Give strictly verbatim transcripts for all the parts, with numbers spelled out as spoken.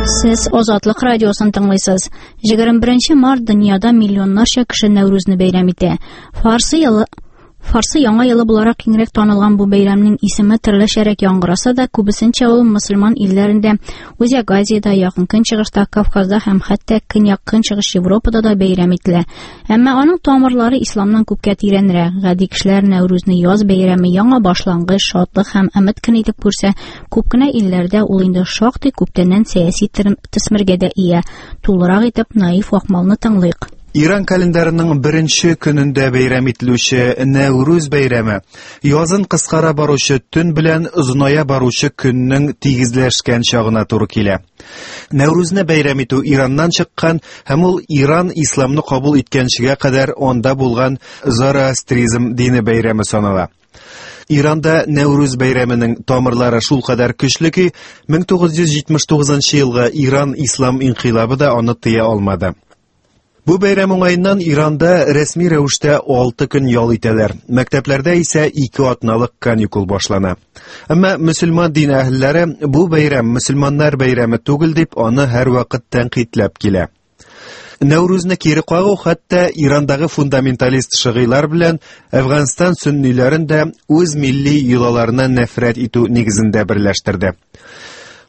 Сез Азатлык радиосын тыңлыйсыз. Егерме беренче март дөньяда миллионнарча кеше Нәүрүзне бәйрәм итә. Фарсы елы Фарсы яңа елы буларак киңрәк танылган бу бәйрәмнең исеме төрлечәрәк яңгыраса да, күбесенчә ул мөселман илләрендә, Үзәк Азиядә, Якын Көнчыгышта, Кавказда һәм хәтта Көньяк Көнчыгыш Европада да бәйрәм ителә. Әмма аның тамырлары исламнан күпкә тирәнрәк. Гади кешеләр Нәүрүзне яз бәйрәме, яңа башлангыч, шатлык һәм өмет көне итеп күрсә, күп кенә илләрдә ул инде шактый күптәннән сәяси төсмергә дә ия. Тулырак итеп Наиф Акмалны тыңлыйк. Иран календарының беренче көнендә бәйрәм ителүче Нәүрүз бәйрәме язын кыскара баручы төн белән озыная баручы көннең тигезләшкән чагына туры килә. Нәүрүзне бәйрәм итү Ираннан чыккан һәм ул Иран исламны кабул иткәнчегә кадәр анда булган зороастризм дине бәйрәме санала. Иранда Нәүрүз бәйрәменең тамырлары шулкадәр көчле ки, мең тугыз йөз җитмеш тугызынчы елгы Иран ислам инкыйлабы да аны тыя алмады. Бу бәйрәм уңаеннан Иранда рәсми рәвештә алты көн ял итәләр. Мәктәпләрдә исә ике атналык каникул башлана. Әмма мөселман дин әһелләре бу бәйрәм мөселманнар бәйрәме түгел дип аны һәрвакыт тәнкыйтьләп килә. Нәүрүзне кире кагу хәтта Ирандагы фундаменталист шыгыйлар белән Әфганстан сөнниләрен дә үз милли йолаларына нәфрәт итү нигезендә берләштерде.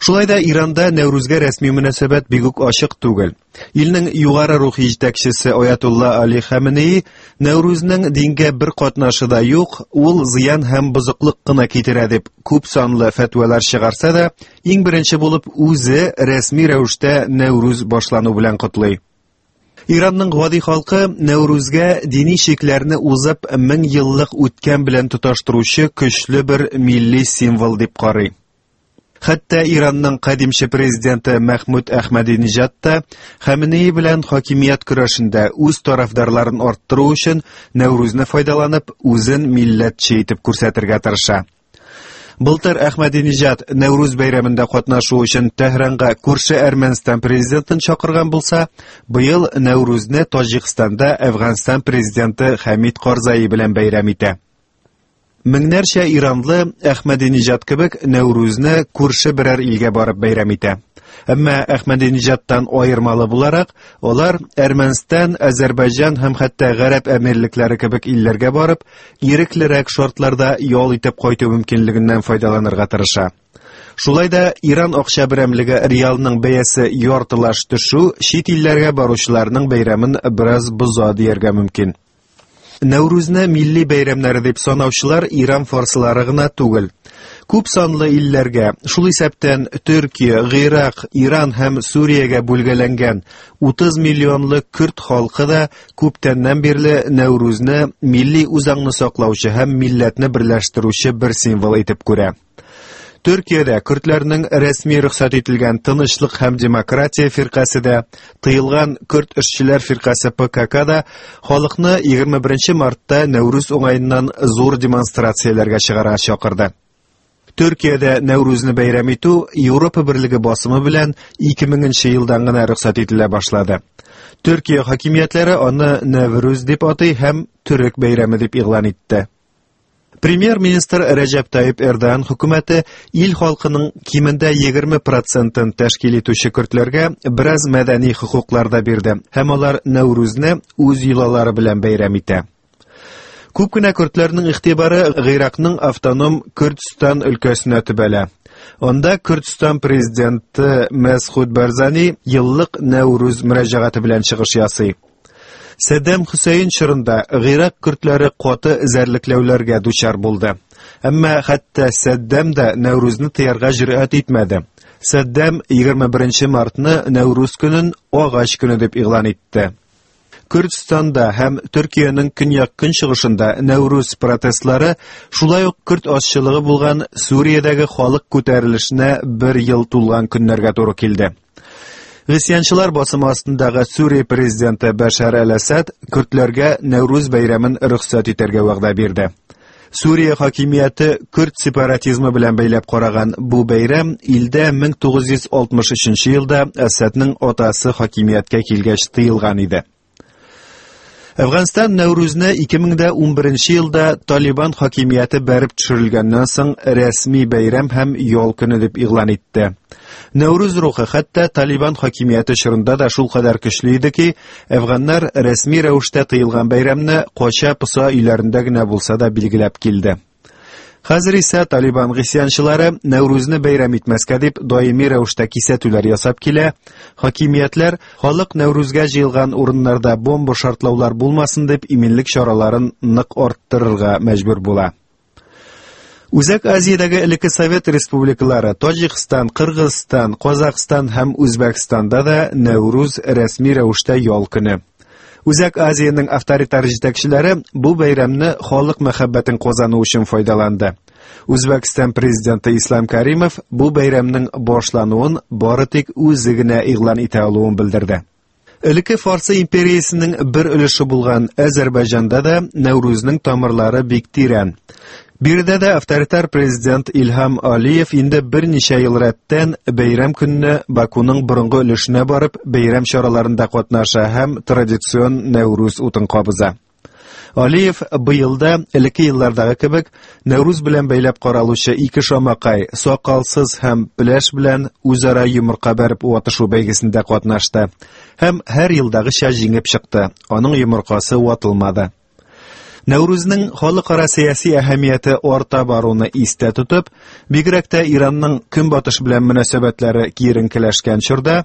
Шулай да Иранда Нәүрүзгә рәсми мөнәсәбәт бик үк ачык түгел. Илнең югары рухи җитәкчесе Аятулла Али Хаменеи Нәүрүзнең дингә бер катнашы да юк, ул зыян һәм бозыклык кына китерә дип күп санлы фәтвалар чыгарса да, иң беренче булып үзе рәсми рәвештә Нәүрүз башлану белән котлый. Иранның гади халкы Нәүрүзгә дини чикләрне узып мең еллык үткән белән тоташтыручы көчле бер милли символ дип карый. Хәтта Иранның кадимче президенты Мәхмүд Әхмәдинежад та Хаменеи белән хакимият көрәшендә үз тарафдарларын арттыру өчен Нәүрүзне файдаланып, үзен милләтче итеп күрсәтергә тырыша. Былтыр Әхмәдинежад Нәүрүз бәйрәмендә катнашу өчен Тәһранга күрше Әрмәнстан президентын чакырган булса, быел Нәүрүзне Таҗикстанда Әфганстан президенты Хәмид Карзаи белән бәйрәм итә. Меңнәрчә иранлы Әхмәдинежад кебек Нәүрүзне күрше берәр илгә барып бәйрәм итә. Әмма Әхмәдинежадтан аермалы буларак, алар Әрмәнстан, Азәрбайҗан һәм хәтта Гарәп Әмирлекләре кебек илләргә барып, иреклерәк шартларда ял итеп кайту мөмкинлегеннән файдаланырга тырыша. Шулай да Иран акча берәмлеге реалның бәясе яртылаш төшү чит илләргә баручыларның бәйрәмен бераз боза дияргә мөмкин. Нәүрүзне милли бәйрәмнәре дип санаучылар Иран фарсылары гына түгел. Күп санлы илләргә, шул исәптән Төркия, Гыйрак, Иран һәм Сүриягә бүлгәләнгән утыз миллионлы көрд халкы да күптәннән бирле Нәүрүзне милли үзаңны саклаучы һәм милләтне берләштерүче бер символ итеп күрә. Төркиядә көрдләрнең рәсми рөхсәт ителгән Тынычлык һәм демократия фиркасе дә, тыелган Көрд эшчеләр фиркасе П К К да халыкны егерме беренче мартта Нәүрүз уңаеннан зур демонстрацияләргә чыгарга чакырды. Төркиядә Нәүрүзне бәйрәм итү Европа Берлеге басымы белән ике меңенче елдан гына рөхсәт ителә башлады. Төркия хакимиятләре аны Нәүрүз дип атый һәм төрек бәйрәме дип игълан итте. Премьер-министр Рәҗәп Тайип Эрдоган хөкүмәте ил халкының кимендә егерме процентын тәшкил итүче көрдләргә бераз мәдәни хокуклар да бирде һәм алар Нәүрүзне үз йолалары белән бәйрәм итә. Күп кенә көрдләрнең игътибары Гыйракның автоном Көрдстан өлкәсенә төбәлә. Анда Көрдстан президенты Мәсхүд Барзани еллык Нәүрүз мөрәҗәгате белән чыгыш ясый. Сәддәм Хөсәйн чорында Гыйрак көрдләре каты эзәрлекләүләргә дучар булды. Әмма хәтта Сәддәм дә Нәүрүзне тыярга җөрьәт итмәде. Сәддәм егерме беренче мартны Нәүрүз көнен агач көне дип игълан итте. Көрдстанда һәм Төркиянең көньяк-көнчыгышында Нәүрүз протестлары шулай ук көрд азчылыгы булган Сүриядәге халык күтәрелешенә бер ел тулган көннәргә туры килде. Гыйсьянчылар басымы астындагы Сүрия президенты Бәшәр әл-Әсәд көрдләргә Нәүрүз бәйрәмен рөхсәт итәргә вәгъдә бирде. Сүрия хакимияте көрд сепаратизмы белән бәйләп караган бу бәйрәм илдә мең тугыз йөз алтмыш өченче елда Әсәднең атасы хакимияткә килгәч тыелган иде. Әфганстан Нәүрүзне ике мең дә унберенче елда Талибан хакимияте бәреп төшерелгәннән соң рәсми бәйрәм һәм ял көне дип игълан итте. Нәүрүз рухы хәтта Талибан хакимияте чорында да шул кадәр көчле иде ки, әфганнар рәсми рәвештә тыелган бәйрәмне кача-поса өйләрендә генә булса да билгеләп килде. Хәзер исә Талибан гыйсьянчылары Нәүрүзне бәйрәм итмәскә дип даими рәвештә кисәтүләр ясап килә. Хакимиятләр халык Нәүрүзгә җыелган урыннарда бомба шартлаулар булмасын дип иминлек чараларын нык арттырырга мәҗбүр була. Үзәк Азиядәге элекке Совет республикалары Таҗикстан, Кыргызстан, Казахстан һәм Үзбәкстанда да Нәүрүз рәсми рәвештә ял көне. Үзәк Азиянең авторитар җитәкчеләре бу бәйрәмне халык мәхәббәтен казану өчен файдаланды. Үзбәкстан президенты Ислам Каримов бу бәйрәмнең башлануын бары тик үзе генә игълан итә алуын белдерде. Элекке Фарсы империясенең бер өлеше булган Азәрбайҗанда да Нәүрүзнең тамырлары бик тирән. Биредә дә авторитар президент Илһам Алиев инде берничә ел рәттән бәйрәм көнне Бакуның борынгы өлешенә барып бәйрәм чараларында катнаша һәм традицион Нәүрүз утын кабыза. Алиев быел да элекке еллардагы кебек Нәүрүз белән бәйләп каралучы ике шамакай, сакалсыз һәм пеләш белән үзара йомырка бәреп ватышу бәйгесендә катнашты һәм һәр елдагыча җиңеп чыкты. Аның йомыркасы ватылмады. Нәүрүзнең халыкара сәяси әһәмияте арта баруны истә тотып, бигрәк тә Иранның көнбатыш белән мөнәсәбәтләре киеренкеләшкән чорда,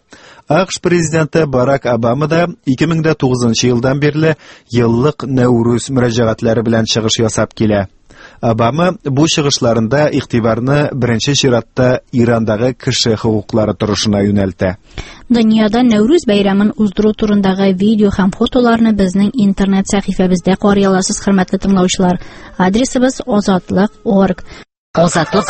АКШ президенты Барак Обама да ике мең дә тугызынчы елдан бирле еллык Нәүрүз мөрәҗәгатьләре белән чыгыш ясап килә. Обама бу чыгышларында игътибарны беренче чиратта Ирандагы кеше хокуклары торышына юнәлтә. Дөньяда Нәүрүз бәйрәмен уздыру турындагы видео һәм фотоларны безнең интернет сәхифәбездә карый аласыз, хөрмәтле тыңлаучылар. Адресыбыз озатлык орг. Озатлык.